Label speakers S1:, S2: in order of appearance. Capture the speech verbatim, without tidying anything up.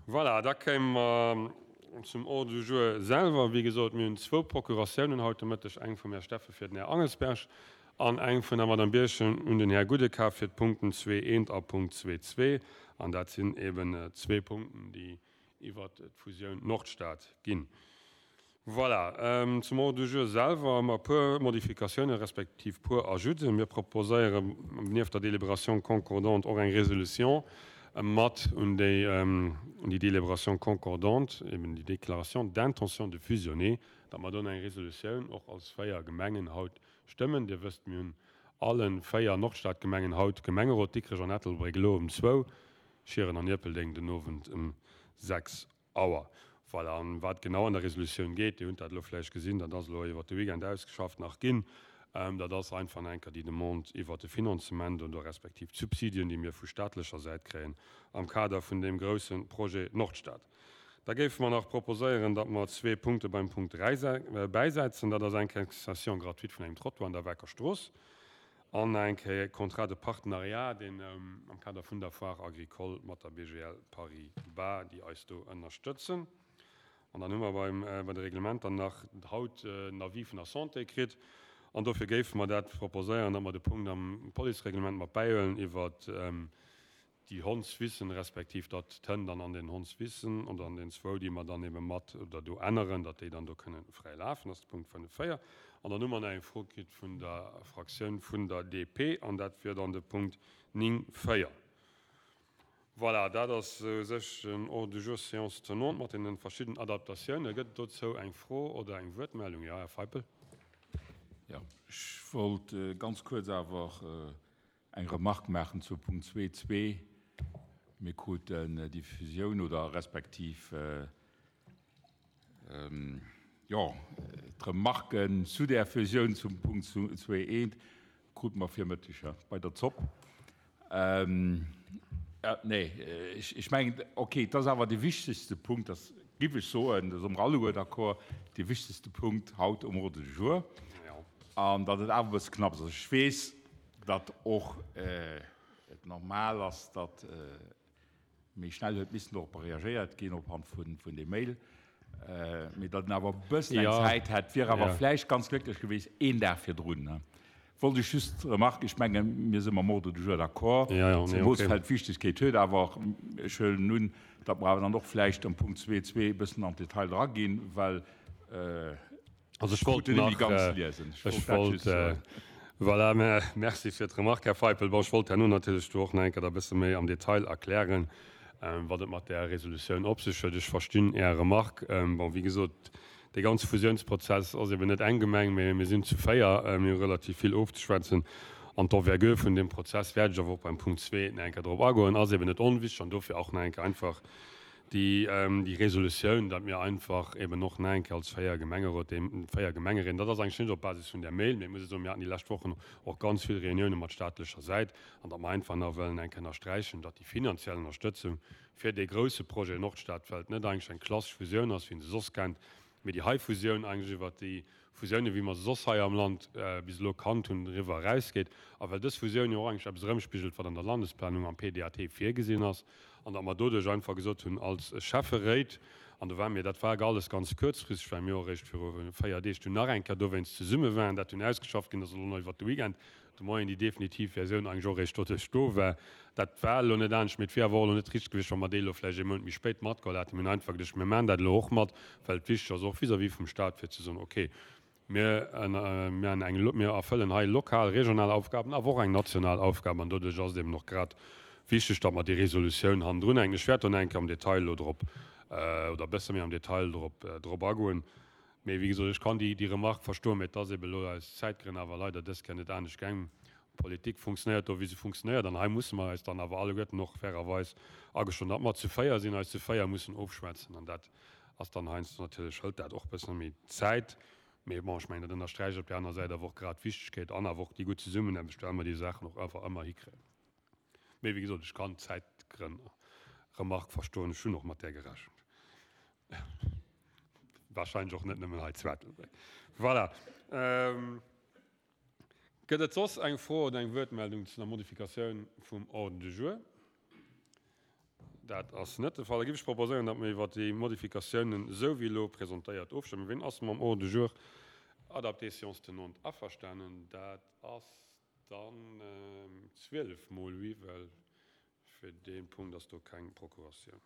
S1: Voilà, da kéime mer zum Ordre du jour selwer. Wéi gesot, mir hunn zwou Procuratiounen haut de Mëtteg, eng vum Här Steffen fir den Här Angelsberg an eng vun der Madame Birchen un den Här Gudekaf fir d'Punkten zwee eent a Punkt zwee zwee. An dat sinn eben zwee Punkten, déi iwwert d'Fusioun Nordstad ginn. Voilà, zum Ordre du jour selwer hu mer e puer Modifikatiounen respektiv puer Ajouten. Mir proposéieren nieft der Délibération concordante och eng Résolution mat un déi, un déi Délibération concordante, eben déi Déclaration d'intention de fusionner, datt mer do eng Resolutioun och als véier Gemengen haut stëmmen. Dir wësst, mir hunn alle véier Nordstadgemengen haut Gemengerot, Dikrech an Ettelbréck elo ëm zwou, Schieren an Ierpeldeng den Owend ëm sechs Auer. Voilà, an wat genau an der Resolutioun geet, Dir hutt dat elo vläicht gesinn, dat ass elo iwwert de Weekend ausgeschafft nach ginn, dat ass einfach nach eng Kéier déi Demande iwwert de Finanzement oder respektiv d'Subsidien, déi mir vu staatlecher Säit kréien am Kader vun deem grousse Projet Nordstad. Da géife mer nach proposéieren, datt mer zwee Punkte beim Punkt dräi bäisetzen. Dat ass eng Kéier Cession gratuite vun engem Trottoir an der Wecker Strooss an eng Kéier Contrat de partenariat, deen am Kader vun der Foire agricole mat der B G L Paribas, déi eis do ënnerstëtzen. An dann hu mer beim, bei de Reglementer nach haut en Avis vun der Santé kritt. An dofir géife mer dat proposéieren, datt mer de Punkt am Policereglement mat bäihuelen iwwer déi Hondswissen, respektiv datt d'Hënn dann an den Hondswissen oder an den zwou, déi mer dann ebe mat oder do änneren, datt déi dann do kënnen fräi lafen. Dat ass de Punkt fënnef véier. An dann hu mer nach eng Fro kritt vun der Fraktioun vun der D P, an dat wier dann de Punkt néng véier. Voilà, dat ass u sech den Ordre du jour séance tenante mat deene verschiddenen Adaptatiounen. Gëtt et dozou eng Fro oder eng Wuertmeldung? Jo, Här Feipel.
S2: Jo, ech wollt ganz kuerz awer eng Remarque maachen zu Punkt zwee zwee. Mir kruten déi Fusioun oder respektiv, jo, d'Remarken zu där Fusioun zum Punkt zwee eent krute mer virmëtteg bei der Zopp. Nee, ech mengen, okay, dat ass awer de wichtegste Punkt, dat géif ech soen, do si mer alleguer d'accord, de wichtegste Punkt haut um Ordre du jour. An datt et awer e bësse knapp ass. Ech weess, datt och et normal ass, datt méi schnell huet missen dorop reagéiert ginn ophand vun vun deem Mail, mee datt en awer e bëssen eng Zäit hätt, wier awer vläicht ganz glécklech gewiescht een Dag virdrun. Wollt ech just Remarque, ech mengen, mir si mam Ordre du jour d'accord, zemoos well d'Wichtegkeet huet, awer ech huelen un, datt mer awer dann och vläicht am Punkt zwee zwee e bëssen an d'Detail draginn, well
S1: Also ech wollt nach, ech wollt, voilà, merci fir d'Remarque, Här Feipel. Bon, ech wollt herno natierlech do och nach eng Kéier da e bësse méi am Detail erklären, wat et mat där Resolutioun op sech huet. Ech verstinn Är Remarque. Bon, wéi gesot, dee ganze Fusiounsprozess ass eben net eng Gemeng, mee mir sinn zu véier. Mir hu relativ vill ofzeschwätzen. An d'Envergure vun deem Prozess wäert ech awer och beim Punkt zwee nach eng Kéier drop agoen, ass eben net onwichtig an dofir och nach eng Kéier einfach déi, déi Resolutioun, datt mir einfach eben och nach eng Kéier als véier Gemengerot, déi véier Gemengeréit, dat ass eigentlech net op Basis vun där Mail, mee ech muss soen, mir haten déi lescht Wochen och ganz vill Reunioune mat staatlecher Säit, an datt mer einfach nach wëllen eng Kéier ënnersträichen, datt déi finanziell Ënnerstëtzung fir dee grousse Projet Nordstad, well et net eigentlech eng klassesch Fusioun ass, wéi een se soss kennt, mee déi hei Fusioun eigentlech iwwert déi Fusiounen, wéi mer se soss hei am Land bis elo kannt hunn, eriwwer erausgeet. A well dës Fusioun jo och eigentlech eppes erëmspigelt, wat an der Landesplanung am P D A T virgesinn ass, an datt mer doduerch einfach gesot hunn als Schäfferéit, an do war mir, dat war alles ganz kuerzfristeg, well mir och eréischt viru véier Deeg dunn nach eng Kéier dowéinst zesumme waren, dat dunn ausgeschafft ginn ass, elo nach iwwert de Weekend de Moien déi definitiv Versioun eigentlech och eréischt doduerch do war. Dat war elo net anescht, mee et wier awer och elo net richteg gewiescht, wa mer déi elo vläicht ee Mount méi spéit matgeholl hätten. Mir hunn einfach geduecht, mir maachen dat elo och mat, well et wichteg ass och vis-à-vis vum Stat, fir ze soen, okay, mir, mir, eng, mir erfëllen hei lokal, regional Aufgaben, awer och eng national Aufgab, an doduerch ass et eben och grad wichteg, datt mer déi Resolutioun hannendrun hänken. Ech wäert dann eng Kéier am Detail elo drop, oder e bësse méi am Detail drop, drop agoen. Mee wéi gesot, ech kann déi, déi Remarque verstoen, mee et ass eben elo aus Zäitgrënn awer leider dës Kéier net anescht gaang. Politik funktionéiert do, wéi se funktionéiert, an hei musse mer eis dann awer alleguerten och fairerweis agestoen, datt mer zu véier sinn, eis zu véier mussen ofschwätzen, an dat ass dann heiansdo natierlech, hëlt dat och e bësse méi Zäit. Mee bon, ech mengen, dat ënnersträicht op där aner Säit awer och grad d'Wichtegkeet an awer och déi gutt Zesummenaarbecht, well mer déi Saachen och einfach ëmmer hikréien. Mee wéi gesot, ech kann d'Zäitgrënn Remarque verstoen, ech hunn och mat där gerechent. Wahrscheinlech och net nëmmen hei zu Ettelbréck. Voilà. Gëtt et soss eng Fro oder eng Wuertmeldung zu der Modifikatioun vum Ordre du jour? Dat ass net de Fall. Da géif ech proposéieren, datt mer iwwert déi Modifikatiounen, esou wéi elo presentéiert, ofstëmmen. Wien ass mam Ordre du jour adapté séance tenante averstanen? Dat ass dann zwielef mol oui, well fir dee Punkt ass do keng Procuratioun.